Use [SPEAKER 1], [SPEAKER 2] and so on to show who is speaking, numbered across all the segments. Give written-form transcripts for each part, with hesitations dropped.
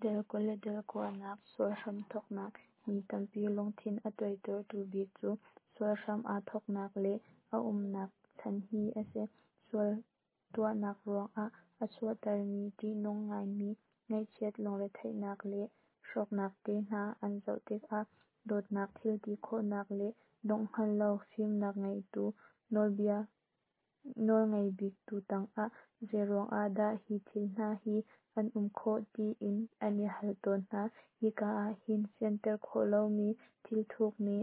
[SPEAKER 1] Dal 20 le dal 9nak Sual hramthawknak. Mi tampi lungthin a tuaitertu bik cu sual hram aa thawknak le a umnak chan hi a si. Sual tuahnak ruangah a chuahtermi ṭihnung ngaimi ngaihchiat lungretheihnak le hrawknak te hna an zoh tikah dawtnak, thilti khawhnak le dongh hngal lo fimnak ngeitu nawlngei biktu tangah zeiruangah dah hi thil hna hi an um khawh tiin an i hal tawn hna. Hika ah hin fianter khawh lomi thil thukmi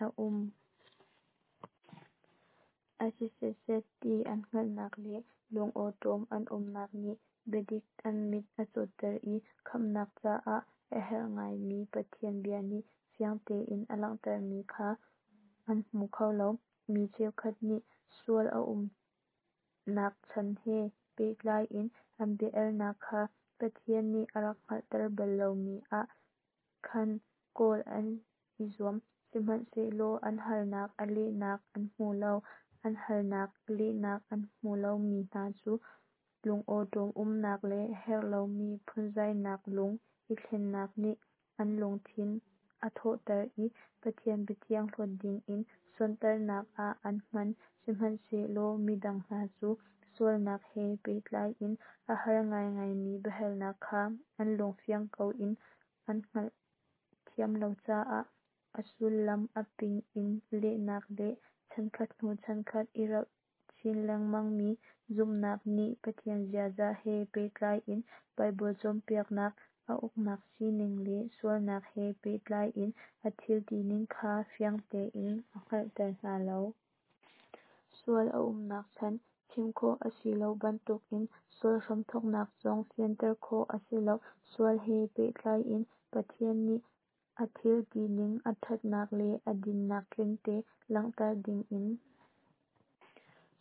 [SPEAKER 1] a um. A si setset ti an hngalhnak le lungawṭawm an umnak nih biadik an mit a cawtter i khamhnak caah a herh ngaimi Pathian bia nih fiang tein a langhtermi kha an hmu kho lo. Mi cheukhat nih sual a umnak chan he pehtlai in an bia-alnak kha Pathian nih a rak hngalhter bal lomi ah khan kawl an i zuam, sihmanhsehlaw an halnak a lehnak an hmu lo. An halnak lehnak an hmuh lomi hna cu lungawṭawm umnak le herh lomi phunzainak lung i thlennak nih an lungthin a thawhter i Pathian biathiang hlawt dingin sonhtarhnak ah an hman. Sihmanhsehlaw midang hna cu sualnak he pehtlai in a har ngaingaimi biahalnak kha an lung fiang ko in an hngalhthiam lo caah a sullam a ping in lehnak le chankhat hnu chankhat i rauh chin lengmangmi zumhnak nih Pathian ziaza he pehtlai in Baibal cawnpiaknak, a uknak sining le sualnak he pehtlai in a thil tining kha fiang tein a hngalhter hna lo. Sual a umnak chan chim khawh a si lo bantukin sual hramthawknak zong fianter khawh a si lo. Sual he pehtlai in Pathian nih a thil tining, a ṭhatnak le a dinnak tlingte langhter dingin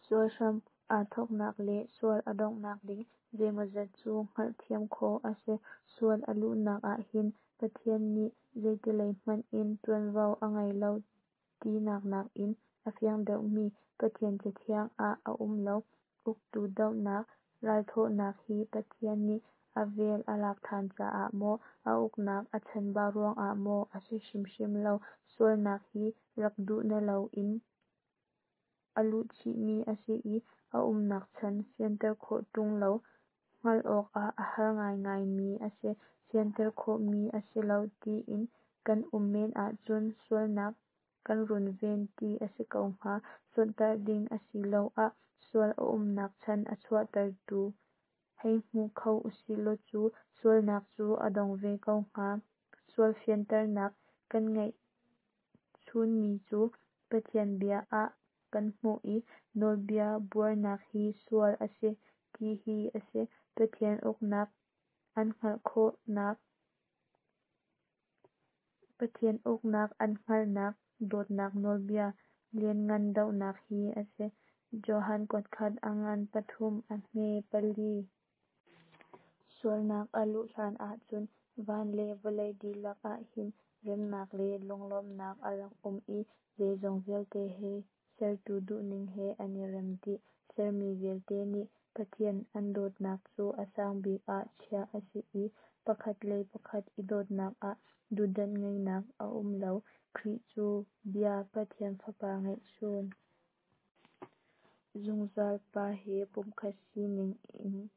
[SPEAKER 1] Sual hram aa thawknak le sual a donghnak ding zeimawzat cu hngalhthiam khawh a si. Sual a luhnak ahhin Pathian nih zeitilei hmanh in ṭuanvo a ngei lo tinak nakin a fiang deuhmi Pathian Cathiang ah a um lo. Uktu dohnak ralthawhnak hi Pathian nih a vel a lak ṭhan caah maw, a uknak a chanbau ruangah maw a si hrimhrim lo. Sualnak hi rak duh na loin a luhchihmi a si i a umnak chan fianter khawh ṭung lo, hngalh awkah a har ngaingaimi a si. Fianter khawhmi a si lo tiin kan um men ahcun sualnak kan runven ti a si ko hnga. Sonhtarh ding asiloah sual a umnak chan a chuahtertu hei hmu kho usihlaw cu sualnak cu a dong ve ko hnga. Sual fianternak kan ngeih chunmi cu Pathian bia ah kan hmuh i nawlbia buarnak hi sual a si ti hi a si. Pathian uknak an hngalh khawhnak Pathian uknak an hngalhnak dawtnak nawlbia lianngan dohnak hi a si. Johan kuatkhat a ngan 3 a hme 4. Sualnak a luh hlan ahcun van le vawlei dihlak ahhin remnak le lunglawmhnak a rak um i zeizong vialte hi sertu duhning he an i rem dih. Sermi vialte nih Pathian an dawtnak cu a sangbik ah chiah a si i pakhat le pakhat i dawtnak ah duhdanh ngeihnak a um lo. Khrih cu Bia, Pathian Fapa ngeihchun, zungzal Pa he pumkhat sining in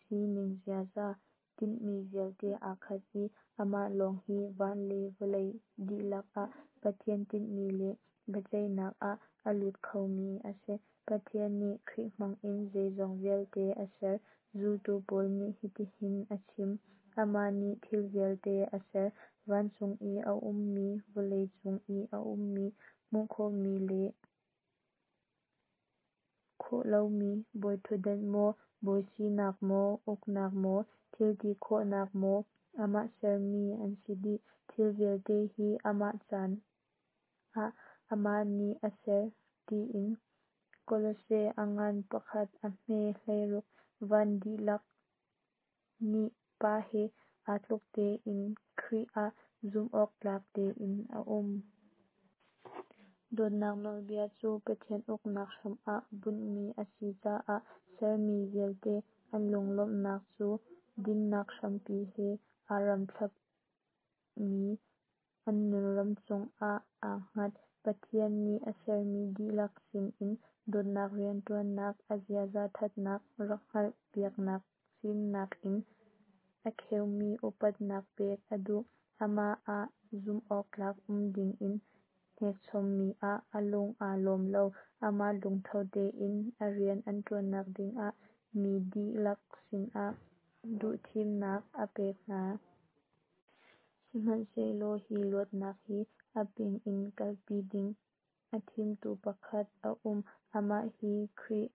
[SPEAKER 1] sining ziaza tinhmi vialte aa khat i amah lawng hi van le vawlei dihlak ah Pathian tinhmi le biaceihnak ah a lut khomi a si. Pathian nih Khrih hmangin zeizong vialte a ser. Zultu Paul nih hitihin a chim: Amah nih thil vialte a ser, vancung i a ummi, vawlei cung i a ummi, hmuh khawhmi le khawh lomi, bawiṭhutdan maw, bawi sinak maw, uknak maw, thil ti khawhnak maw, amah sermi an si dih. Thil vialte hi amah caah amah nih a ser, tiin. Kolose a ngan 1 a hme 16. Van dihlak nih Pa he aa tluk tein Khrih ah zumhawktlak tein a um. Dawtnak nawlbia cu Pathian uknak hram ah bunhmi a si caah sermi vialte an lunglawmhnak cu Dinnak hrampi he aa ramthlapmi an nunram cungah aa hngat. Pathian nih a sermi dihlak sinin dawtnak rianṭuannak, a ziaza ṭhatnak rak hngalh piaknak fimnak in a kheumi upatnak pek a duh. Amah ah zumhawktlak um dingin hnekchommi ah a lung aa lawm lo. Amah lungtho tein a rian an ṭuannak dingah mi dihlak sinah duhthimnak a pek hna. Sihmanhsehlaw hi luatnak hi a ping in kalpi ding a thimtu pakhat a um. Amah hi Khrih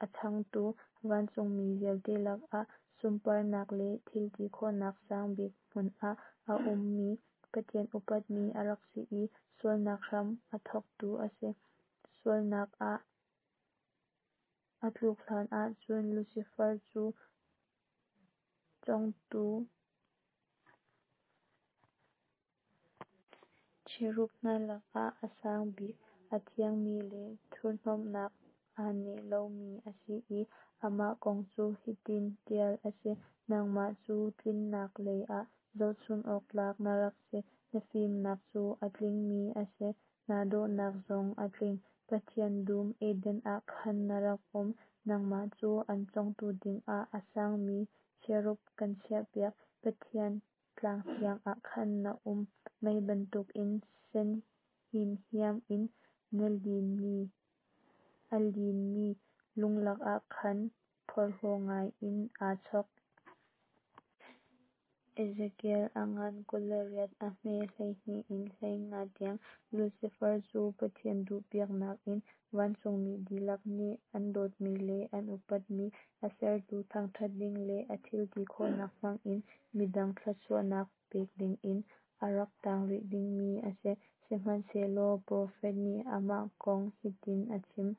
[SPEAKER 1] a changtu vancungmi vialte lakah sunparnak le thilti khawhnak sangbik hmun ah a ummi, Pathian upatmi a rak si i sualnak hram a thawktu a si. Sualnak ah a tluk hlan ahcun Lucifer cu cawngtu cherub hna lakah a sang bik, a thiangmi le thurhnomhnak aa neh lomi a si i amah kong cu hitin ṭial a si: Nangmah cu tlinnak lei ah zohchunh awktlak na rak si, na fimnak cu a tlingmi a si, naa dawhnak zong a tling. Pathian dum Eden ah khan na rak um. Nangmah cu an cawngtu dingah a sangmi cherub kan chiahpiak. Pathian tlang thiang ah khan na um. Mei bantukin sen himhiam in a linmi lung lakah khan phorhlaw ngaiin aa chawk. Ezekiel a ngan 28 a hme 12 in 15 tiang. Lucifer cu Pathian duhpiaknak in vancungmi dihlak nih an dawtmi le an upatmi, a sertu thangṭhat ding le a thilti khawhnak hmangin midang thluachuahnak pek dingin a rak tang rih dingmi a si. Sihmanhsehlaw profet nih amah kong hitin a chim: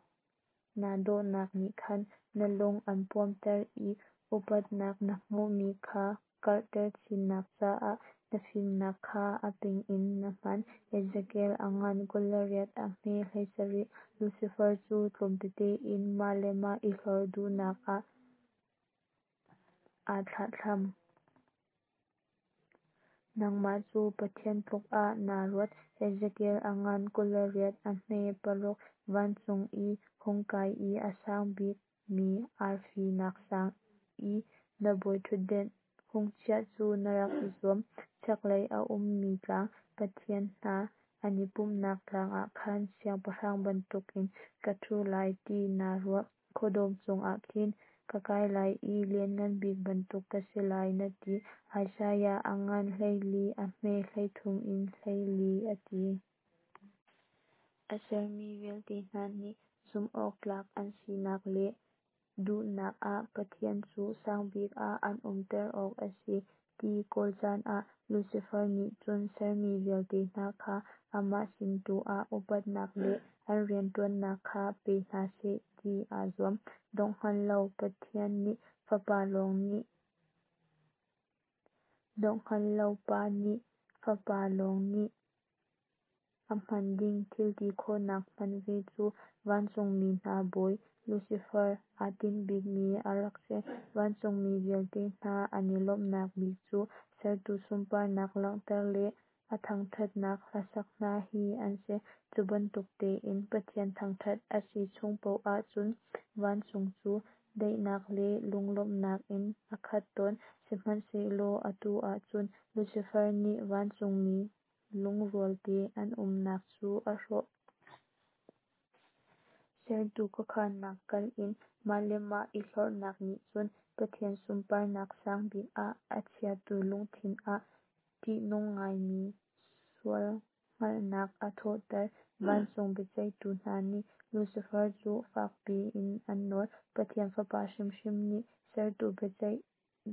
[SPEAKER 1] Naa dawhnak nih khan na lung an puamter i upatnak na hmuhmi kha karhter chinnak caah na fimnak kha a ping in na hman. Ezekiel a ngan 28 a hme 17. Lucifer cu tlawm tete in mah le mah i hlorh duhnak ah aa thlahthlam. Nangmah cu Pathian tluk ah naa ruat. Ezekiel a ngan 28 a hme 6. Vancung i hung kai i a sang bikmi arfi nak sang i na bawiṭhutdan hung chiah cu na rak i zuam. Chaklei a ummi tlang, pathian hna an i pumhnak tlang ah khan siangpahrang bantukin ka ṭhu lai ti naa ruah. Khuadawm cungah khin ka kai lai i Lianngan Bik bantuk ka si lai, na ti. Isaiah a ngan 14 a hme 13 in 14 a ti. A sermi vialte hna nih zumhawktlak an sinak le duhnak ah Pathian cu sangbik ah an umter awk a si ti kawl caan ah Lucifer nih cun sermi vialte hna kha amah sin tu ah upatnak le an rianṭuannak kha pe hna seh ti aa zuam. Dongh hngal lo Pathian nih Fapa lawng nih Dongh hngal lo Pa nih Fapa lawng nih a hman ding thilti khawhnak hman ve cu vancungmi hna bawi Lucifer aa tinh bikmi a rak si. Vancungmi vialte hna an i lawmhnak bik cu sertu sunparnak langhter le a thangṭhatnak hlasak hna hi an si. Cu bantuk tein Pathian thangṭhat a si chung paoh ahcun vancung cu daihnak le lunglawmhnak in a khat tawn. Sihmanhsehlaw atu ahcun Lucifer nih vancungmi lungrualte an umnak cu a hrawh. Sertu khuakhannak kalh in mah le mah i hlorhnak nih cun Pathian sunparnak sangbik ah a chiatu lungthin ah ṭihnung ngaimi sual hngalhnak a thawhter. Vancung biaceihtu hna nih Lucifer cu fakpi in an nawl. Pathian Fapa hrimhrim nih sertu biaceih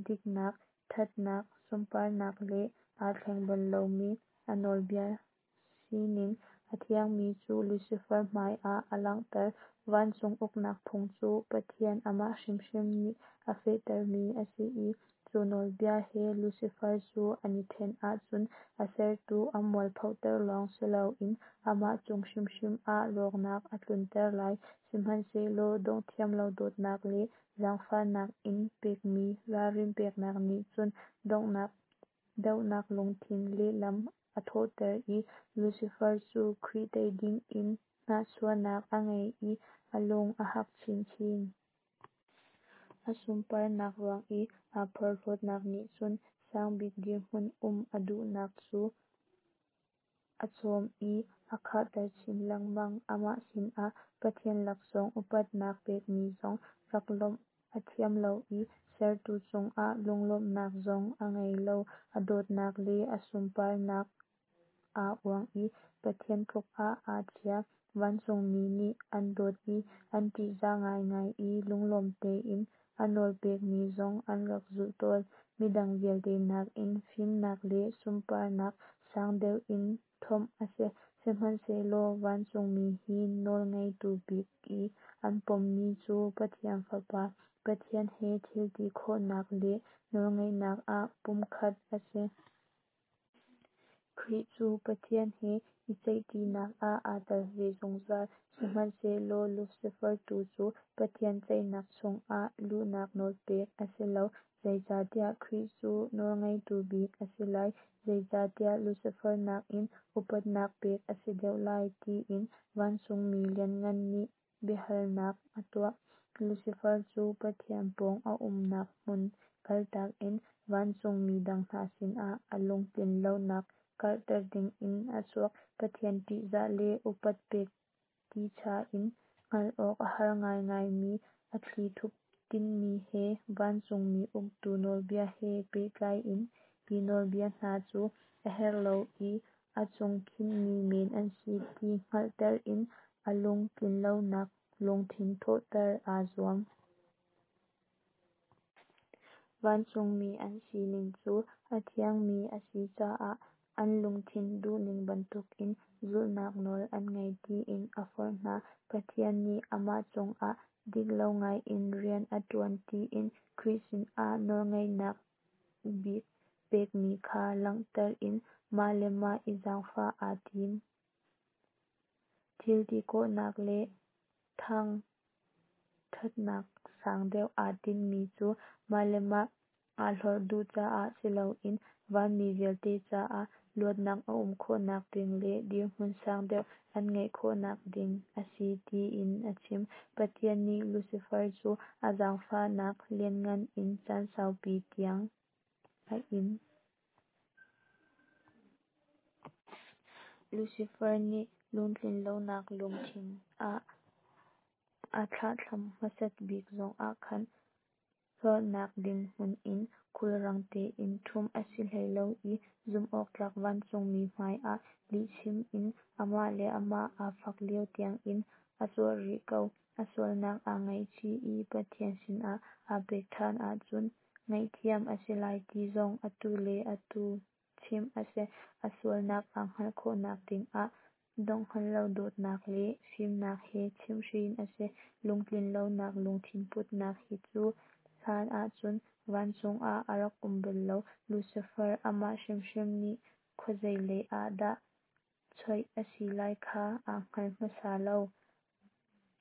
[SPEAKER 1] diknak, ṭhatnak, sunparnak le aa thleng bal lomi a nawlbia sining a thiangmi cu Lucifer hmai ah a langhter. Vancung uknak phung cu Pathian amah hrimhrim nih a fehtermi a si i, cu Cu nawlbia he Lucifer cu an i ṭhen ahcun a sertu a mualphoter lawng si loin amah cung hrimhrim ah rawknak a tlunter lai. Sihmanhsehlaw donghthiam lo dawtnak le zaangfahnak in pekmi ralrin peknak nih cun dohnak lungthin lehlam a thawhter i Lucifer cu Khrih tei dingin hnahchuahnak a ngei i a lung a hak chinchin. A sunparnak ruang i aa porhlawtnak nih cun sangbik dirhmun um a duhnak cu a cawm i a khahter chin lengmang. Amah sinah Pathian laksawng upatnak pekmi zong rak lawmh a thiam lo i sertu cungah lunglawmhnak zong a ngei lo. A dawhnak le a sunparnak aa uang i Pathian tluk ah aa chia. Vancungmi nih an dawt i an ṭihzah ngaingai i lunglawm tein a nawl pekmi zong an rak zulh tawn. Midang vialte nakin fimnak le sunparnak sang deuh in thuamh a si. Sihmanhsehlaw vancungmi hi nawl ngeitu bik i an pommi cu Pathian Fapa, Pathian he thilti khawhnak le nawlngeihnak ah pumkhat a si. Khrih cu Pathian he i ceihṭinak ah aa tel ve zungzal. Sihmanhsehlaw Lucifer tu cu Pathian ceihnak chungah luhnak nawl pek a si lo. Zeicahtiah Khrih cu nawlngeitu bik a si lai, zeicahtiah Lucifer nakin upatnak pek a si deuh lai, tiin vancungmi lianngan nih biahalnak a tuah. Lucifer cu Pathian pawng a umnak hmun kaltak in vancungmi dang hna sinah a lungtlin lonak karhter dingin a chuak. Pathian ṭihzah le upat pek ticha in hngalh awk a har ngaingaimi a thlithup tinhmi he vancungmi uktu nawlbia he pehtlai in hi nawlbia hna cu a herh lo i a cung khinhmi men an si ti hngalhter in a lung tlinlonak lungthin thawhter aa zuam. Vancungmi an sining cu a thiangmi a si caah an lungthin duhning bantukin zulhnak nawl an ngei tiin a forh hna. Pathian nih amah cungah diklo ngaiin rian a ṭuan tiin Khrih sinah nawlngeihnak bik pekmi kha langhter in mah le mah i zaangfah aa tim. Thil ti khawhnak le thangṭhatnak sang deuh aa tinhmi cu mah le mah aa hlorh duh caah si loin vanmi vialte caah luatnak a um khawhnak ding le dirhmun sang deuh an ngeih khawhnak ding a si tiin a chim. Pathian nih Lucifer cu a zaangfahnak lianngan in caan saupi tiang a in. Lucifer nih lungtlinlonak lungthin a thlahthlam hmasat bik zongah khan hlorhnak ding hmun in khulrang tein ṭhumh a si hlei lo i zumhawktlak vancungmi hmaiah lihchim in amah le amah aa fak lio tiangin a zuarh rih ko. A sualnak aa ngaihchih i Pathian sinah aa pek ṭhan ahcun ngaihthiam a si lai ti zong atu le atu chimh a si. A sualnak aa hngalh khawhnak dingah dongh hngal lo dawtnak le fimnak he chimhhrin a si. Lungtlinlonak lungthin putnak hi cu hlan ahcun vancung ah a rak um bal lo. Lucifer amah hrimhrim nih khuazei lei ah dah choih a si lai kha aa hngal hmasa lo.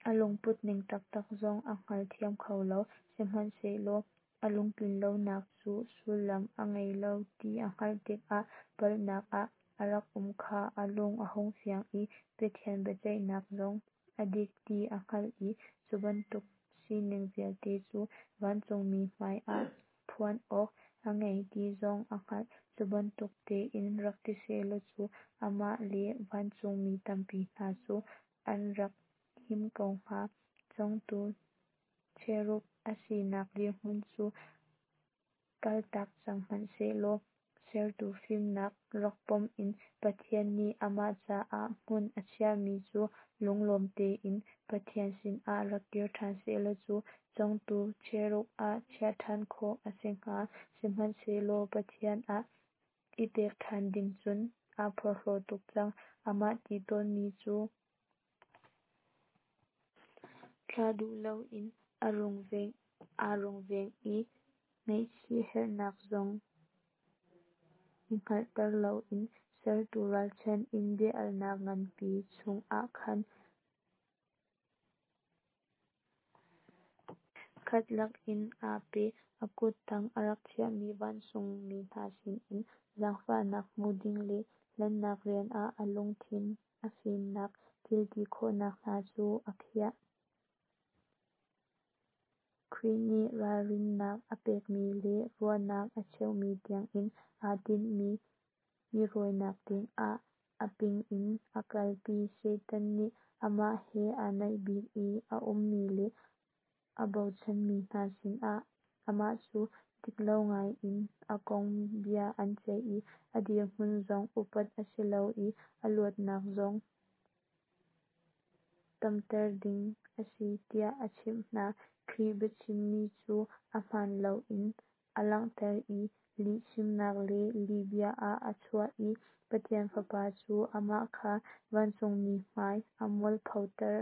[SPEAKER 1] A lungputning taktak zong a hngalthiam kho lo. Sihmanhsehlaw a lungtlinlonak cu sullam a ngei lo ti a hngalh tikah palhnak ah a rak um kha a lung a hung fiang i Pathian biaceihnak zong a dik ti a hngalh i cu bantuk sining vialte cu vancungmi hmaiah phuan awk a ngei ti zong a hngalh. Cu bantuk tein rak ti sehlaw cu amah le vancungmi tampi hna cu an rak him ko hnga. Cawngtu cherub a sinak dirhmun cu kaltak cang hmanhsehlaw sertu fimnak rak pom in Pathian nih amah caah hmun a chiahmi cu lunglawm tein Pathian sinah rak kir ṭhan sehlaw cu cawngtu cherub ah chiah ṭhan khawh a si hnga. Sihmanhsehlaw Pathian ah i pek ṭhan ding cun aa porhlaw tuk cang. Amah ti tawnmi cu thlah duh loin aa rungveng i. Ngaihchih herhnak zong i hngalhter loin Sertu ralchanh in bia-alnak nganpi chungah khan khat lakin aa pe. A kut tang a rak chiahmi vancungmi hna sinin zaangfahnak hmu ding le hlennak rian ah a lungthin, a fimnak, thilti khawhnak hna cu a khiah. Khrih nih ralrinnak a pekmi le ruahnak a cheuhmi tiangin aa tinhmi mi rawinak dingah a ping in a kalpi. Satan nih amah he aa naih bik i a ummi le a bochanmi hna sinah amah cu diklo ngaiin a kong bia an ceih i a dirhmun zong upat a si lo i a luatnak zong tamter ding a si tiah a chimh hna. Khrih biachimmi cu a hmaan loin a langhter i lihchimnak le lihbia ah a chuah i Pathian Fapa cu amah kha vancungmi hmai ah mualphoter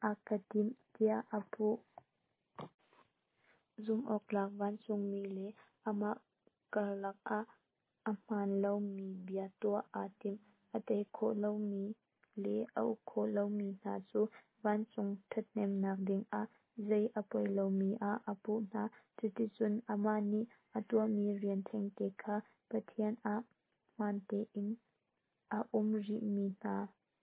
[SPEAKER 1] a ka timh tiah a puh. Zumhawktlak vancungmi le amah karlak ah a hmaan lomi bia tuah aa tim. A tei khawh lomi le a uk khawh lomi hna cu vancung ṭhathnemnak dingah zei a poi lomi ah a puh hna. Cuticun amah nih a tuahmi rian thengte kha Pathian ah hmaan tein a um rihmi hna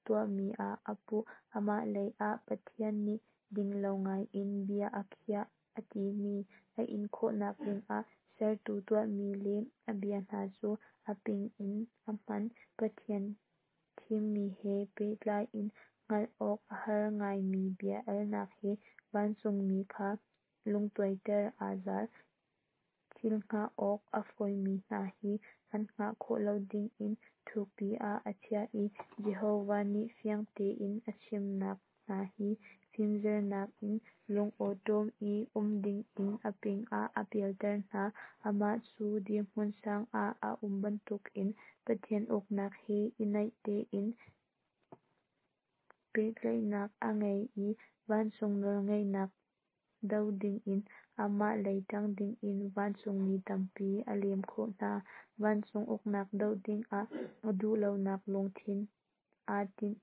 [SPEAKER 1] tuahmi ah a puh. Amah lei ah Pathian nih dinglo ngaiin bia a khiah a timi a in khawhnak dingah Sertu tuahmi le a bia hna cu a ping in a hman. Pathian thimmi he pehtlai in hngalh awk a har ngaimi bia-alnak he vancungmi kha lungtuaiter aa zal. Thil hngah awk a fawimi hna hi an hngah khawh lo dingin thukpi ah a chiah i Jehovah nih fiang tein a chimnak hna hi fimzernak in lungawṭawm i um dingin a ping ah a pialter hna. Amah cu dirhmun sang ah a um bantukin Pathian uknak he i naih tein pehtlaihnak a ngei i vancung nawlngeihnak do dingin amah lei ṭang dingin vancungmi tampi a lem khawh hna. Vancung uknak doh dingah a duhlonak lungthin aa tinh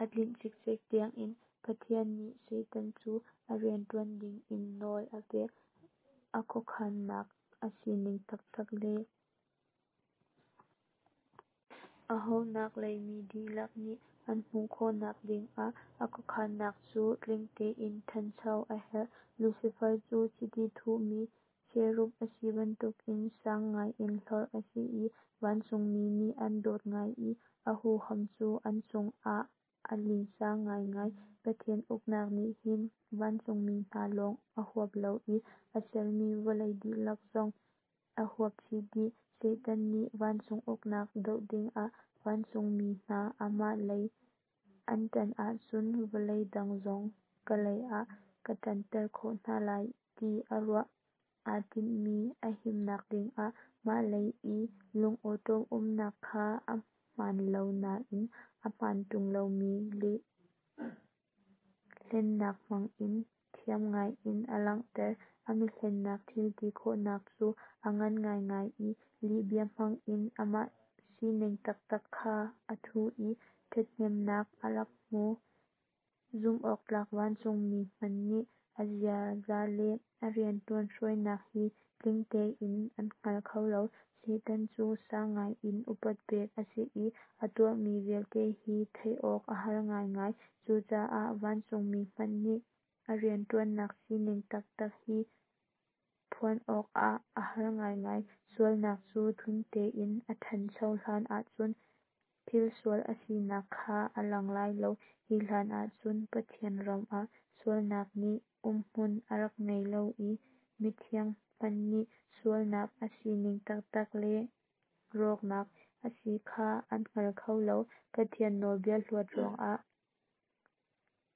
[SPEAKER 1] a tlinh cikcek tiangin Pathian nih Satan cu a rianṭuan dingin nawl a pek. A khuakhannak a sining taktak le a ohawnnak lei mi dihlak nih an hmuh khawhnak dingah a khuakhannak cu tling tein ṭhancho a herh. Lucifer cu chiti thuhmi cherub a si bantukin sang ngaiin hlorh a si i vancungmi nih an dawt ngai i a huham cu an cungah a linsa ngaingai. Pathian uknak nih hin vancungmi hna lawng a huap lo i a sermi vawlei dihlak zong a huap chih dih. Satan nih vancung uknak doh dingah vancungmi hna amah lei an ṭan ahcun vawlei dang zong ka lei ah ka ṭanter khawh hna lai ti a ruah. Aa tinhmi a himnak dingah mah lei i lungawṭawm umnak kha a hmaan lo nain a hmaan ṭung lomi lih hlennak hmangin thiam ngaiin a langhter. A mihlennak thilti khawhnak cu a ngan ngaingai i lihbia hmangin amah sining taktak kha a thuh i ṭhathnemnak a rak hmu. Zumhawktlak vancungmi hmanh nih a ziaza le a rianṭuan hruainak hi tling tein an hngal kho lo. Satan cu sang ngaiin upat pek a si i a tuahmi vialte hi theih awk a har ngaingai. Cucaah vancungmi hmanh nih a rianṭuannak sining taktak hi phuan awkah a har ngaingai. Sualnak cu tling tein a ṭhancho hlan ahcun thil sual a sinak kha a lang lai lo. Hi hlan ahcun Pathian ram ah sualnak nih umhmun a rak ngei lo i mithiang hmanh nih sualnak a sining taktak le rawknak a si kha an hngal kho lo. Pathian nawlbia hlawt ruangah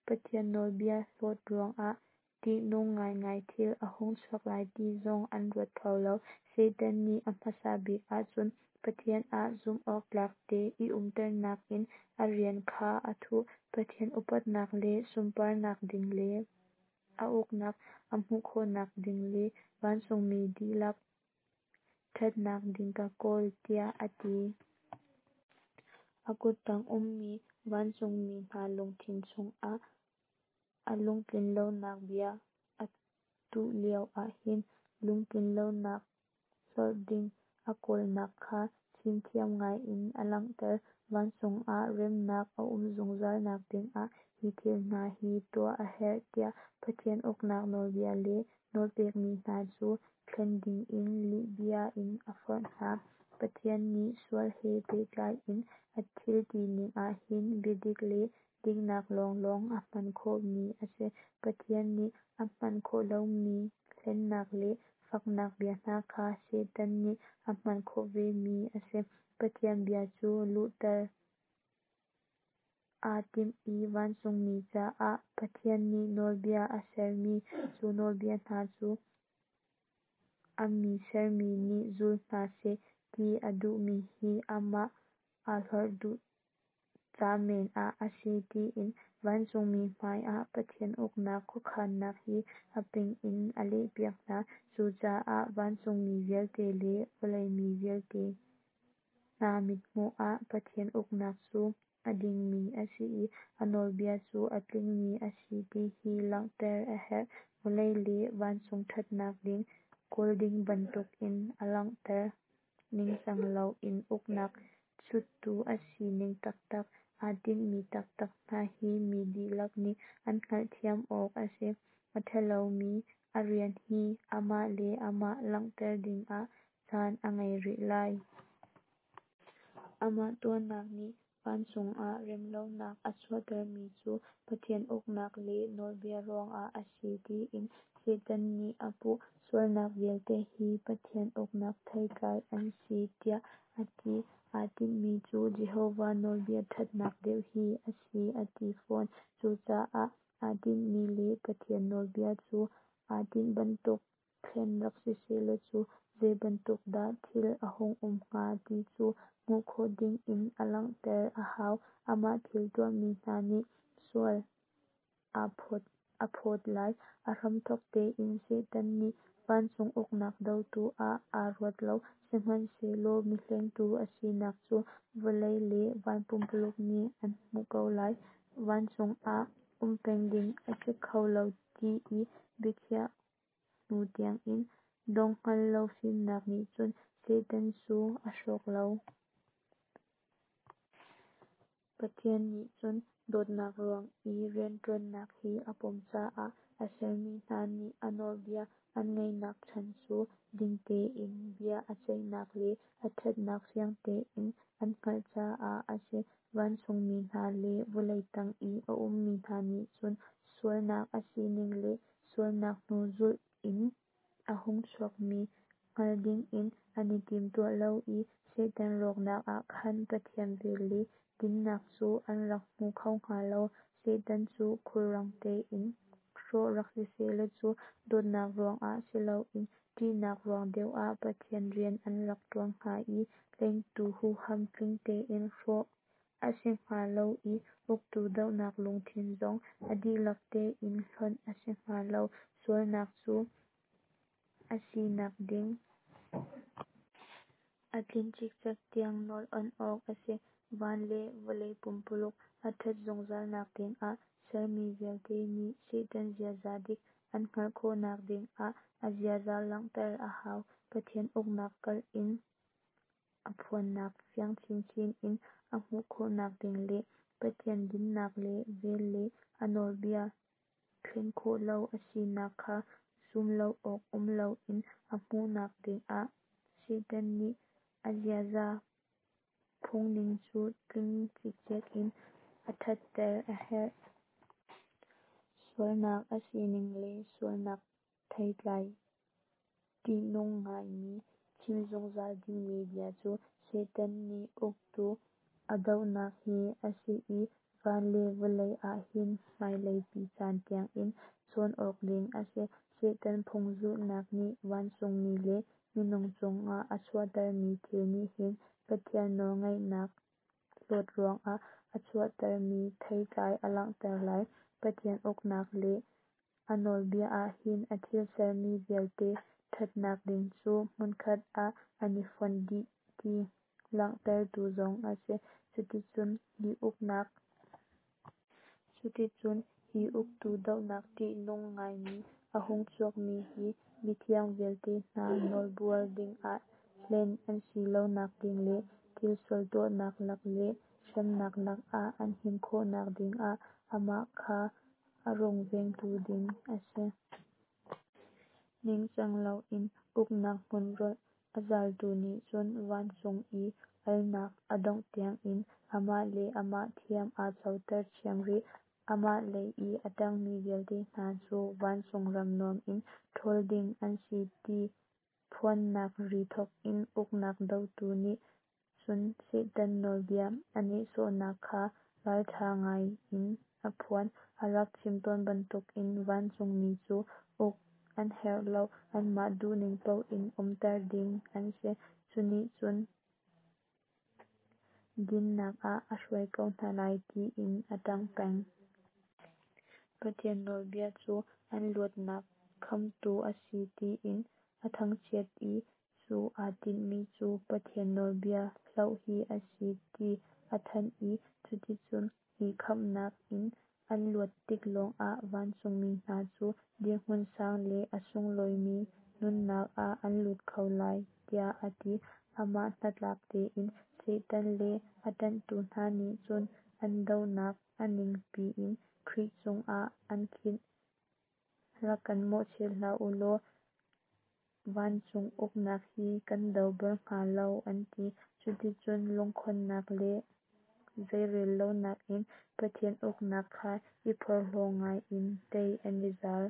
[SPEAKER 1] Pathian nawlbia hlawt ruangah ṭihnung ngaingai thil a hung chuak lai ti zong an ruat kho lo. Satan nih a hmasa bik ahcun Pathian ah zumhawktlak te i umternak in a rian kha a thuh. Pathian upatnak le sunparnak ding le. a uknak a hmuh khawhnak ding le vancungmi dihlak ṭhatnak ding ka kawl, tiah a ti. A kuttang ummi vancungmi hna lungthin chungah a lungtlinlonak bia a tuh lio ahhin lungtlinlonak hlorh ding a kawlnak kha fimthiam ngai in a langhter. Vancung ah remnak a um zungzal nak dingah hi thil hna hi tuah a herh, tiah Pathian uknak nawlbia le nawlpekmi hna cu thlen dingin lihbia in a forh hna. Pathian nih sual he pehtlai in a thil tining ahhin biadik le dinnak lawnglawng a hman khawhmi a si. Pathian nih a hman khawh lomi hlennak le faknak bia hna kha Satan nih a hman khawh ve mi a si. Pathian bia cu luhter aa tim i vancungmi caah Pathian nih nawlbia a sermi, cu nawlbia hna cu a mi sermi nih zul hna seh ti a duhmi hi amah aa hlorh duh ca men ah a si tiin vancungmi hmai ah Pathian uknak khuakhannak hi a ping in a lehpiak hna. Cucaah vancungmi vialte le vawlei mi vialte hna mithmuh ah Pathian uknak cu a dingmi a si i a nawlbia cu a tlingmi a si ti hi langhter a herh. Vawlei le vancung ṭhatnak ding kawl ding bantukin a langhter. Ningcang loin uknak chuttu a sining taktak, aa tinhmi taktak hna hi mi dihlak nih an hngalhthiam awk a si. A ṭhalomi a rian hi amah le amah langhter dingah caan a ngei rih lai. Amah tuahnak nih vancung ah remlonak a chuahtermi cu Pathian uknak le nawlbia ruangah a si tiin Satan nih a puh. Sualnak vialte hi Pathian uknak theitlai an si tiah a ti. Aa tinhmi cu Jehovah nawlbia ṭhatnak deuh hi a si a ti fawn. Cucaah aa tinhmi le Pathian nawlbia cu aa tinh bantuk thlen rak sisehlaw cu zeibantuk dah thil a hung um hnga ti cu hmuh khawh dingin a langhter a hau. Amah thil tuahmi hna nih sual a phawt lai. A hramthawk tein Satan nih vancung uknak dotu ah aa ruat lo. Sihmanhsehlaw mihlengtu a sinak cu vawlei le van pumpuluk nih an hmuh ko lai. Vancung ah um peng ding a si kho lo ti i biakhiah hnu tiangin dongh hngal lo fimnak nih cun Satan cu a hrawk lo. Pathian nih cun dawtnak ruang i rianṭuannak hi a pom caah a sermi hna nih a nawlbia an ngaihnak chan cu ding tein bia a ceihnak le a ṭhatnak fiang tein an hngalh caah a si. Vancungmi hna le vawlei tang i a ummi hna nih cun sualnak a sining le sualnak hnu zulh in a hung chuakmi hngal dingin an i timtuah lo i Satan rawknak ah khan Pathian vel le dinnak cu an rak hmu kho hnga lo. Satan cu khulrang tein hrawh rak sisehlaw cu dawtnak ruangah si loin ṭihnak ruang deuh ah Pathian rian an rak ṭuan hnga i hlengtu huham tling tein hrawh a si hnga lo i uktu dohnak lungthin zong a dihlak tein hlonh a si hnga lo. Sualnak cu a sinak ding a tlin cikcek tiang nawl awnh awk a si. Van le vawlei pumpuluk a ṭhat zungzalnak dingah sermi vialte nih Satan ziaza dik an hngalh khawhnak dingah a ziaza langhter a hau. Pathian uknak kalh in a phuannak fiang chinchin in a hmuh khawhnak ding le Pathian dinnak le vel le a nawlbia thlen khawh lo a sinak kha zum lo awk um loin a hmuhnak dingah Satan nih a ziaza phungning cu tling cikcek in a ṭhatter a herh. Sualnak a sining le sualnak theitlai ṭihnung ngaimi chim zungzal dingmi bia cu Satan nih uktu a dohnak hi a si i van le vawlei ah hin hmailei pi caan tiangin cawn awk ding a si. Satan phung zulhnak nih vancungmi le minung cungah a chuahtermi thil nih hin Pathian nawlngeihnak hlawt ruangah a chuahtermi theitlai a langhter lai. Pathian uknak le. A nawlbia ah hin a thil sermi vialte ṭhatnak ding cu hmunkhat ah an i fonh dih ti langhtertu zong a si. Cuticun hi uknak Cuticun hi uktu dohnak ṭihnung ngaimi a hung chuakmi hi mithiang vialte hna nawlbuar dingah hlen an si lonak ding le thil sual tuahnak lak le hremnak lakah an him khawhnak dingah amah kha a rungvengtu ding a si. Ningcang loin uknak hmun rolh a zaltu nih cun vancung i alnak a dongh tiangin amah le amah thiam aa coter ṭhiam rih. Amah lei i a ṭangmi vialte hna cu vancung ram nuam in ṭhawl ding an si ti phuannak ri thawkin uknak dotu nih cun Satan nawlbia a nehsawhnak kha ralṭha ngaiin a phuan. A rak chim tawn bantukin vancungmi cu uk an herh lo, anmah duhning paoh in umter ding an si, cunih cun dinnak ah a hruai ko hna lai tiin a ṭang peng. Pathian nawlbia cu an luatnak khamtu a si tiin a thangchiat i cu aa tinhmi cu Pathian nawlbia hloh hi a si ti a thanh i cuticun hi khamhnak in an luat tik lawngah vancungmi hna cu dirhmun sang le a sunglawimi nunnak ah an lut kho lai tiah a ti. Amah hnatlak tein Satan le a ṭanhtu hna nih cun an dohnak a ning piin Khrih cungah an khinh. Rak kan mawhchiat hlah u law vancung uknak hi kan do bal hnga lo an ti. Cuticun lungkhonnak le zeirellonak in Pathian uknak kha i phorhlaw ngai in tei an i zal.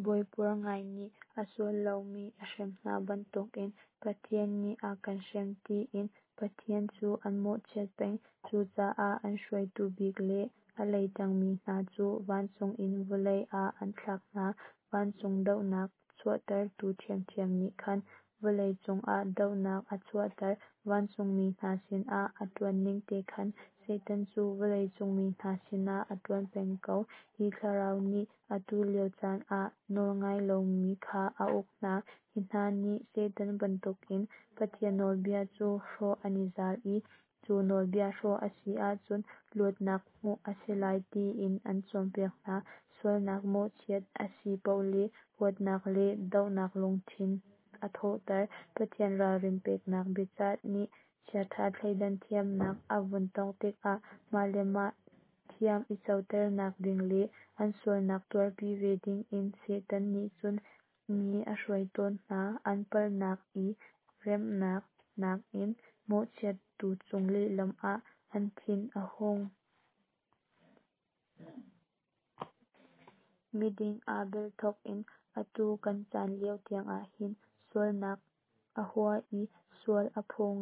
[SPEAKER 1] Bawi puar ngai nih a sual lomi a hrem hna bantukin Pathian nih a kan hrem tiin Pathian cu an mawhchiat peng. Cucaah an hruaitu bik le a lei ṭangmi hna cu vancung in vawlei ah an thlak hna. Vancung dohnak chuahtertu ṭhiamṭhiam nih khan vawlei cungah dohnak a chuahter. Vancungmi hna sinah a ṭuanning te khan Satan cu vawlei cung mi hna sinah a ṭuan peng ko. Hi thlarau nih atu lio caan ah nawlngai lomi kha a uk hna. Hi hna nih Satan bantukin Pathian nawlbia cu hrawh an i zal i cu nawlbia hrawh a si ahcun luatnak hmuh a si lai tiin an cawnpiak hna. Sualnak mawhchiat a si paoh le huatnak le dohnak lungthin a thawhter. Pathian ralrin peknak biacah nih chiaṭha thleidan thiamnak a vun tawngh tikah mah le mah thiam i coternak ding le an sualnak tuarpi ve dingin Satan nih cun mi a hruai tawn hna. An palhnak i remhnak nakin mawhchiattu cung lehlam ah an thin a hung. Miding Abel thawk in atu kan caan lio tiangah hin sualnak a hua i sual a phaw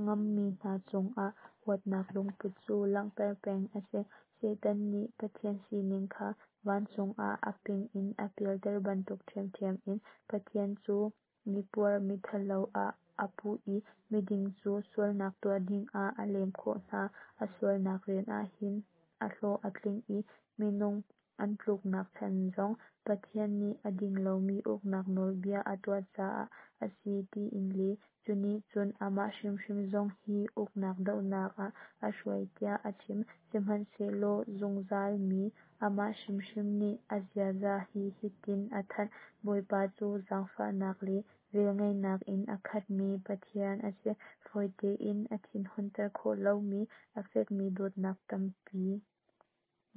[SPEAKER 1] ngammi hna cungah huatnak lungput cu langhter peng a si. Satan nih Pathian sining kha vancung ah a ping in a pialter bantuk ṭhiamṭhiam in Pathian cu mipuar mithalo ah a puh i miding cu sualnak tuah dingah a lem khawh hna. A sualnak rian ah hin a hlawh a tling i minung an tluknak chan zong Pathian nih a ding lomi uknak nawlbia a tuah caah a si tiin le cu nih cun amah hrimhrim zong hi uknak dohnak ah a hruai tiah a chim. Sihmanhsehlaw zungzal mi amah hrimhrim nih a ziaza hi hitin a thanh: Bawipa cu zaangfahnak le velngeihnak in a khatmi Pathian a si, fawi tein a thinhunter khawh lomi, a fekmi dawtnak tampi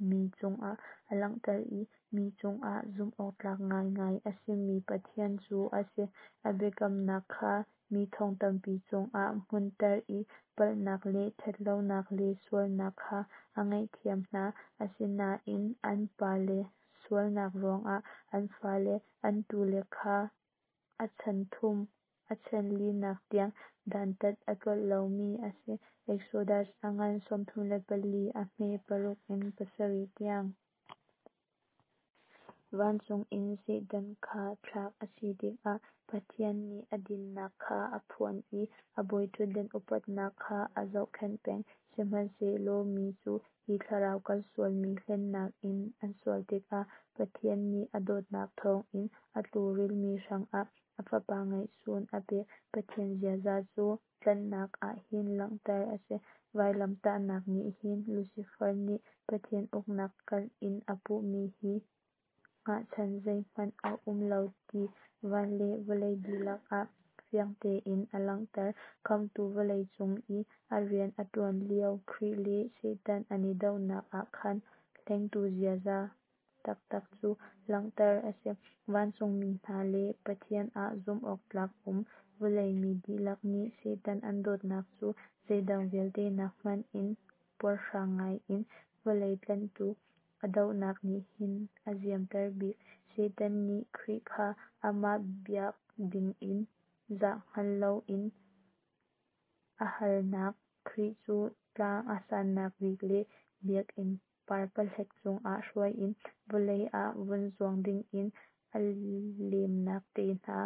[SPEAKER 1] mi cungah a langhter i mi cungah zumhawktlak ngaingai a simi Pathian cu a si. A biakamnak kha mi thong tampi cungah hmunhter i palhnak le ṭhatlonak le sualnak kha a ngaihthiam hna. Asinain an pale sualnak ruangah an fale an tule kha a chan thum a chan linak tiang dantat a tlolh lomi a si. Exodus a ngan 34 a hme 6 in 7 tiang. Vancung in Satan kha thlak a si tikah Pathian nih a dinnak kha a phuan i a bawiṭhutdan upatnak kha a zohkhenh peng. Sihmanhsehlaw mi cu hi thlarau kalsualmi hlennak in an sual tikah Pathian nih a dawtnak thawngin a tlukrilmi hrangah a Fapa ngeihchun a pek. Pathian ziaza cu tlanhnak ah hin langhter a si. Vailamtahnak nih hin Lucifer nih Pathian uknak kalh in a puhmi hi hngahchan zeihmanh a um lo ti van le vawlei dihlak ah fiang tein a langhter. Khamhtu vawlei cung i a rian a tuan lio Khrih le Satan an i dohnak ah khan hlengtu ziaza taktak cu langhter a si. Vancungmi hna le Pathian ah zumhawktlak um vawlei mi dihlak nih Satan an dohnak cu zeidang vialte nak hmanh in puarhrang ngai in vawlei tlanhtu a dohnak nih hin a ziamter bik. Satan nih Khrih kha amah biak dingin zah hngal loin a halnak, Khrih cu tlang a sannak bik le biakinn parpahlek cungah hruai in vawlei ah vun zuang dingin a lemnak te hna.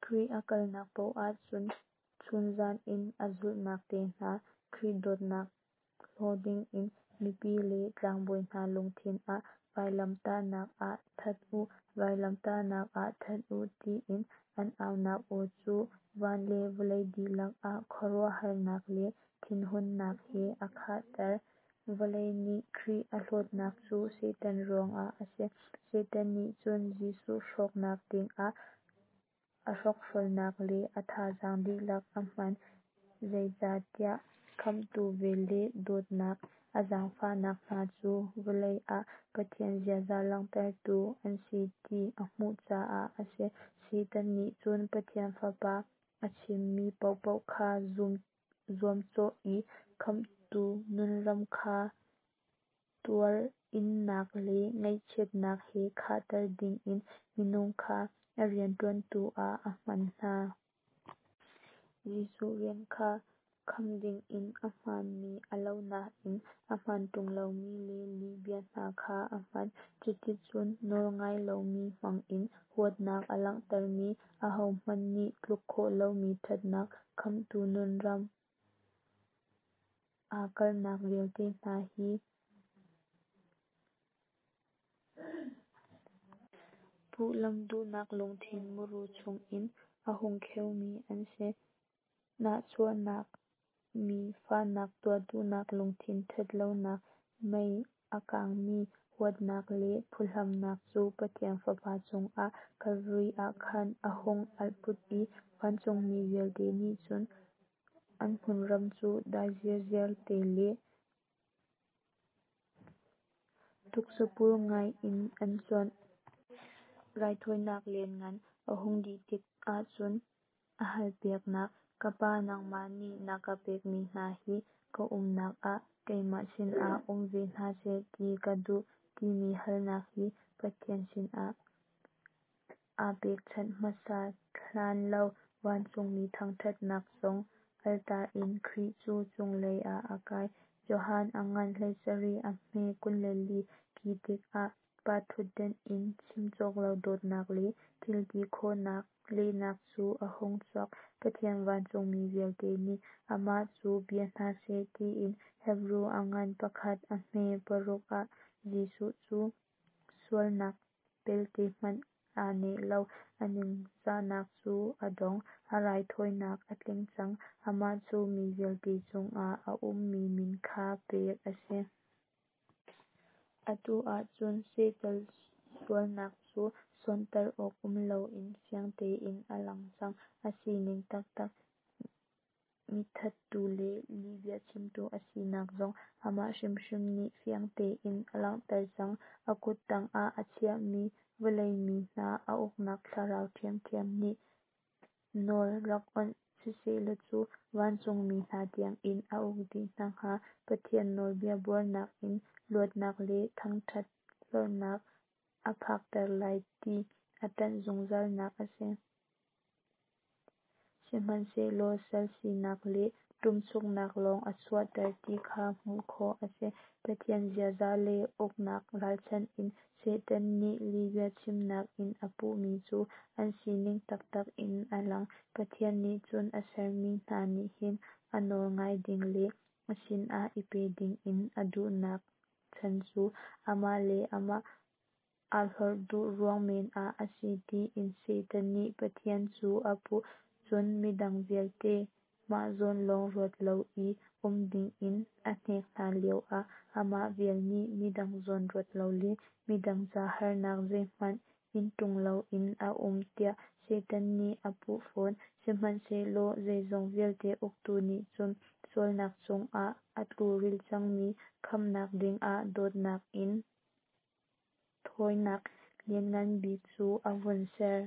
[SPEAKER 1] Khrih a kalnak paoh ah chunzan in a zulhnak te hna, Khrih dawtnak hlaw dingin mipi le tlangbawi hna lungthin ah vailamtahnak ah that u, vailamtahnak ah that u tiin an aunak aw cu van le vawlei dihlak ah khuaruahharnak le thinhunnak he a khahter. Vawlei nih Khrih a hlawtnak cu Satan ruangah a si. Satan nih cun Jesuh hrawknak dingah a hrokhrolnak le a thazaang dihlak a hman. Zeicatiah Khamhtu vel le dawtnak, a zaangfahnak hna cu vawlei ah Pathian ziaza langhtertu an si ti a hmuh caah a si. Satan nih cun Pathian Fapa a chimmi paohpaoh kha zuamcawh i Khamhtu nunram kha tuar-innak le ngaihchiatnak he khahter dingin minung kha a riantuantu ah a hman hna. Jesuh rian kha kham dingin a hmaanmi a lo nain a hmaan ṭung lomi le lihbia hna kha a hman. Cuticun nawlngai lomi hmangin huatnak a langhtermi, ahohmanh nih tluk khawh lomi ṭhatnak, Khamhtu nunram aa kalhnak vialte hna hi puhlamh duhnak lungthin muru chungin a hung kheumi an si. Nahchuahnak, mi fahnak tuah duhnak lungthin ṭhatlonak, mei a kangmi huatnak le phuhlamnak cu Pathian Fapa cungah Kalvari ah khan a hung alh put i vancungmi vialte nih cun an hmunram cu dai zirziar te le tuksapur ngai in an cuanh. Raithawinak lianngan a hung dih tik ahcun a halpiaknak, Ka Pa, nangmah nih na ka pekmi hna hi ka umnak ah keimah sinah um ve hna seh ti ka duh, timi halnak hi Pathian sinah aa pekchanh hmasa hlan lo vancungmi thangṭhatnak zong alter in Khrih cu cunglei ah a kai. Johan a ngan 17 a hme 24 Khi tikah Pa ṭhutdan in chim cawk lo dawtnak le thilti khawhnak lehnak cu a hung chuak. Pathian vancungmi vialte nih amah cu bia hna seh tiin Hebru a ngan pakhat a hme paruk ah Jesuh cu sualnak pelte hmanh aa neh lo. A ningzahnak cu a dong. A raithawinak a tling cang. Amah cu mi vialte cungah a ummi min kha pek a si. Atu ahcun Satan sualnak cu sonhtarh awk um loin fiang tein a lang cang. A sining taktak, mithattu le lihbia chimtu a sinak zong amah hrimhrim nih fiang tein a langhter cang. A kut tangah a chiahmi vawlei mi hna a uknak thlarau ṭhiamṭhiam nih nawl rak awnh sisehlaw cu vancungmi hna tiangin a uk dih hna hnga. Pathian nawlbia buarnak in luatnak le thangṭhat hlorhnak a phakter lai ti a ṭanh zungzalnak a si. Sihmanhsehlaw sal sinak le ṭumchuknak lawng a chuahter ti kha hmuh khawh a si. Pathian ziaza le uknak ralchanh in Satan nih lihbia chimnak in a puhmi cu an sining taktak in a lang. Pathian nih cun a sermi hna nih hin a nawl ngai ding le a sinah i pe dingin a duhnak chan cu amah le amah aa hlorh duh ruang men ah a si tiin Satan nih Pathian cu a puh. Cun midang vialte mah zawn lawng ruat lo i um dingin a hnek hna lioah amah vial nih midang zawn ruat lo le midang ca harnak zeihmanh in tung loin a um tiah Satan nih a puh fawn. Sihmanhsehlaw zeizong vialte uktu nih cun sualnak chungah a tluril cangmi khamhnak dingah dawtnak in thawinak lianngan bik cu a vun ser.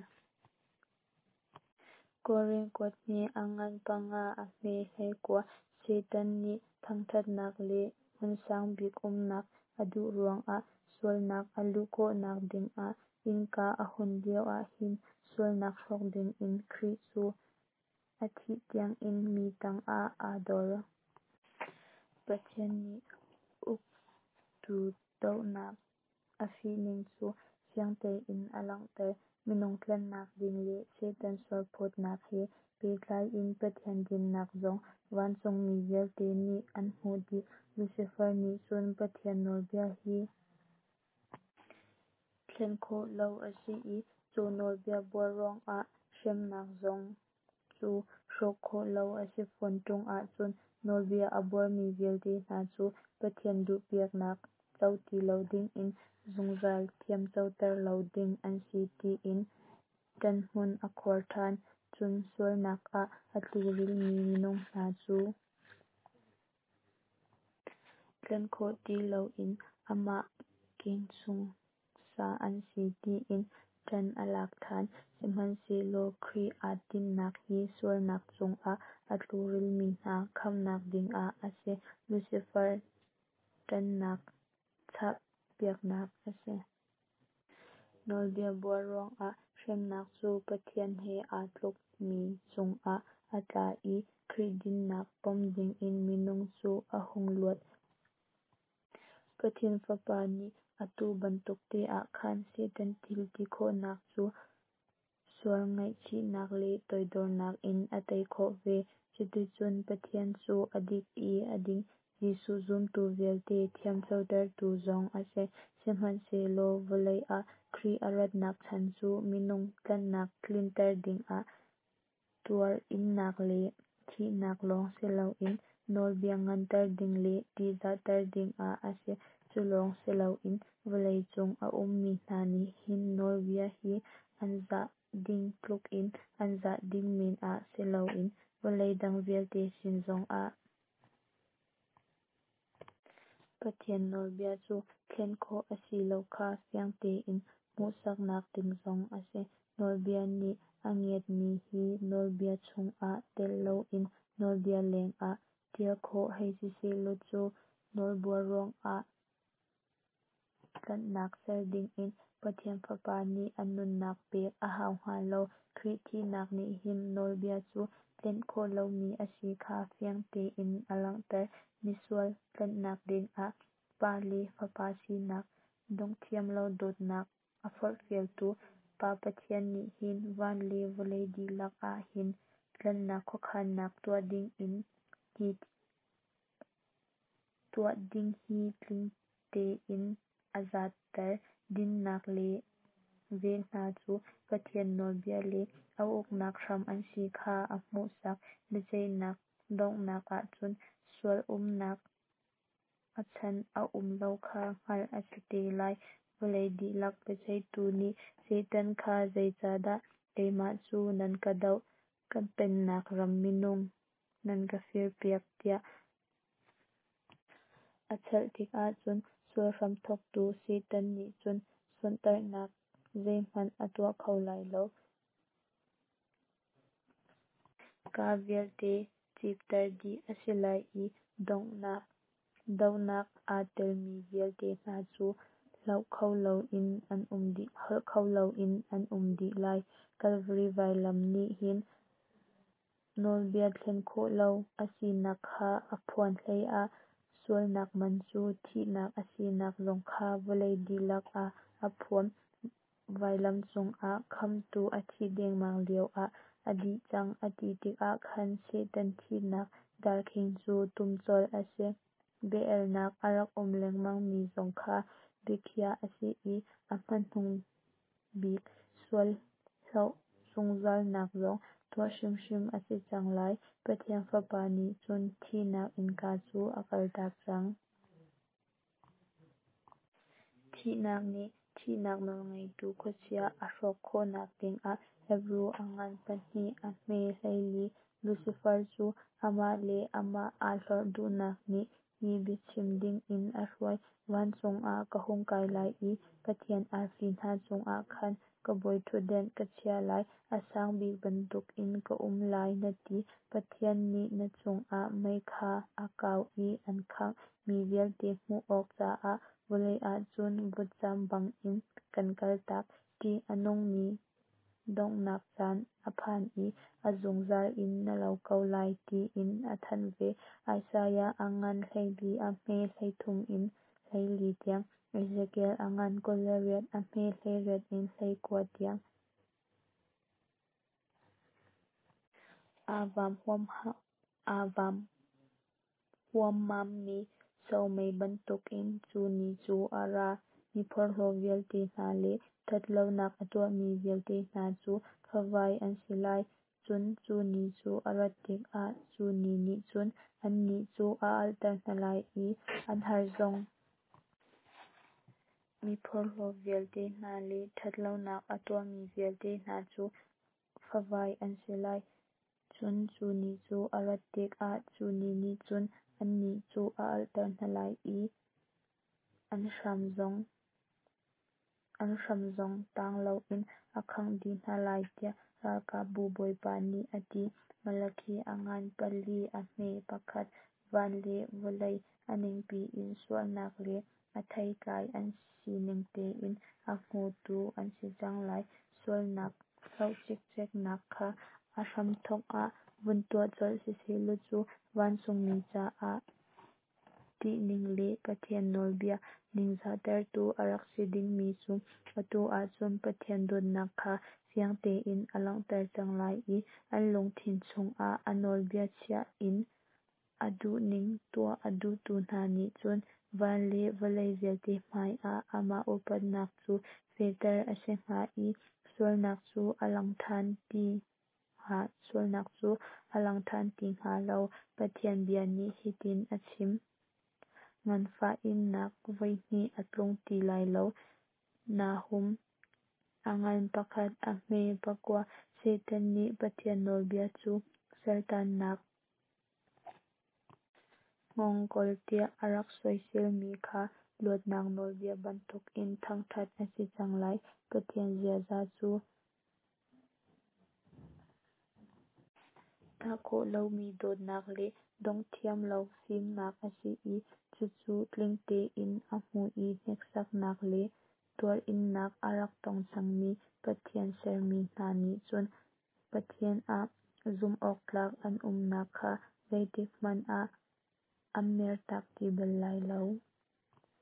[SPEAKER 1] Korin kuat hnih a ngan panga a hme 19. Satan nih thangthatnak le hmunsang bik umnak a duh ruangah sualnak a luh khawhnak dingah innka a hun lio ah hin sualnak hrawk dingin Khrih cu a thih tiangin mi tangah aa dor. Pathian nih uktu dohnak a fihning cu fiang tein a langhter. Minung tlanhnak ding le Satan sualphawtnak he pehtlai in Pathian dinnak zong vancungmi vialte nih an hmuh dih. Lucifer nih cun Pathian nawlbia hi thlen khawh lo a si i cu nawlbia buar ruangah hremnak zong cu hrawh khawh lo a si fawn ṭung ahcun nawlbia a buarmi vialte hna cu Pathian duhpiaknak co ti lo dingin zungzal thiamcoter lo ding an si tiin ṭanhmun a khuar ṭhan. Cun sualnak ah a tlurilmi minung hna cu tlanh khawh ti loin amah kengchung sa an si tiin ṭan a lak ṭhan. Sihmanhsehlaw Khrih aa tinhnak hi sualnak chungah a tlurilmi hna khamhnak dingah a si. Lucifer ṭannak chahpiaknak a si. Nawlbia buar ruangah hremnak cu Pathian he aa tlukmi cungah a tla i Khrih dinnak pom dingin minung cu a hung luat. Pathian Fapa nih atu bantuk te ah khan Satan thil ti khawhnak cu sual ngaihchihnak le toidornak in a tei khawh ve. Cuticun Pathian cu a dik i a ding, Jesuh zumtu vialte thiamcotertu zong a si. Sihmanhsehlaw vawlei ah Khrih a ratnak chan cu minung tlanhnak tlinter dingah tuar innak le thihnak lawng siloin nawlbia nganter ding le ṭihzahter dingah a si. Cu lawng siloin vawlei cung a ummi hna nih hin nawlbia hi an zah ding tlukin an zah ding men ah siloin vawlei dang vialte sin zongah Pathian nawlbia cu thlen khawh a si lo kha fiang tein hmuhsaknak ding zong a si. Nawlbia nih a ngiatmi hi nawlbia chungah telh loin nawlbia lengah ṭial khawh hei si sehlaw cu nawlbuar ruangah tlanhnak ser dingin Pathian Fapa nih a nunnak pek a hau hnga lo. Khrih thihnak nih hin nawlbia cu tlenh khawh lomi a si kha fiang tein a langhter. Misual tlanhnak dingah Pa le Fapa sinak donghthiam lo dawtnak a forhfialtu Pa Pathian nih hin van le vawlei dihlak ah hin tlanhnak khuakhannak tuah ding hi tling tein a zatter. Dinnak le vel hna cu Pathian nawlbia le a uknak hram an si kha a hmuhsak. Biaceihnak donghnak ahcun sual umnak a chan a um lo kha hngalh a si te lai. Vawlei dihlak biaceihtu nih Satan kha zeicahdah keimah cu nan ka doh, ka pennak ram minung nan ka firpiak tiah a chalh tikah cun sual hramthawktu Satan nih cun sonhtarhnak zeihmanh a tuah kho lai lo. Kaa vialte cipter dih a si lai i dohnak aa telmi vialte hna cu holh kho loin an um dih lai. Kalvari vailam nih hin nawlbia thlen khawh lo a sinak kha a phuan hleiah sualnak man cu thihnak a sinak zong kha vawlei dihlak ah a phuan. Vailam cungah Khamhtu a thih dengmang lioah a dih cang a ti tikah khan Satan thihnak Darkhing cu tum colh a si. Bia-elnak a rak um lengmang mi zong kha biakhiah a si i a hmanung bik sual hloh zungzalnak zong tuah hrimhrim a si cang lai. Pathian Fapa nih cun thihnak innka cu a kaltak cang. Thihnak nih thihnak nawlngeitu khuachia a hrawk khawhnak dingah Hebru a ngan pahnih a hme 14. Lucifer cu amah le amah aa hlorh duhnak nih hi biachim dingin a hruai: Vancung ah ka hung kai lai i Pathian arfi hna cungah khan ka bawiṭhutdan ka chiah lai, a sang bik bantukin ka um lai, na ti. Pathian nih na chungah mei kha a kau i an khangh mi vialte hmuh awk caah vawlei ah cun vutcam bangin kan kaltak. Ṭih a nungmi donghnak caan a phan i a zungzal in na lo ko lai, tiin a thanh ve. Isaiah a ngan 14 a hme 13 in 14 tiang, Ezekiel a ngan 28 a hme 18 in 19 tiang. Aa vaam huammammi somei bantukin cu ni cu a ra. Miphorhlaw vialte hna le ṭhat lonak a tuahmi vialte hna cu favai an si lai. Cun cu ni cu a rat tikah cu ni nih cun annih cu a alhter hna lai i an har zong. Miphorhlaw vialte hna le ṭhat lonak a tuahmi vialte hna cu favai an si lai. Cun cu ni cu a rat tikah cu ni nih cun annih cu a alhter hna lai i an hram zong tang loin a khangh dih hna lai, tiah Ralkapbu Bawipa nih a ti. Malakhi a ngan pali a hme pakhat. Van le vawlei a ningpi in sualnak le a theitlai an sining tein a hmutu an si cang lai. Sualnak hloh cikceknak kha a hramthawk ah vun tuah colh sisehlaw cu vancungmi caah ṭihning le Pathian nawlbia ningzahtertu a rak si dingmi cu atu ahcun Pathian dawtnak kha fiang tein a langhter cang lai i an lungthin chungah a nawlbia chia in a duhning tuah a duhtu hna nih cun van le vawlei vialte hmaiah amah upatnak cu fehter a si hnga i sualnak cu a lang ṭhan ti sualnak cu a lang ṭhan ti hnga lo. Pathian bia nih hitin a chim: Nganfah innak voi hnih a tlung ti lai lo. Nahum a ngan pakhat a hme pakua. Satan nih Pathian nawlbia cu saltannak hngawngkawl tiah a rak soiselmi kha luatnak nawlbia bantukin thangṭhat a si cang lai. Pathian ziaza cu tah khawh lomi dawtnak le dongh thiam lo fimnak a si i cucu tling tein a hmu i hneksaknak le tuarinnak a rak tong cangmi Pathian sermi hna nih cun Pathian ah zumhawktlak an umnak kha zeitikhmanh ah an mertak ti bal lai lo.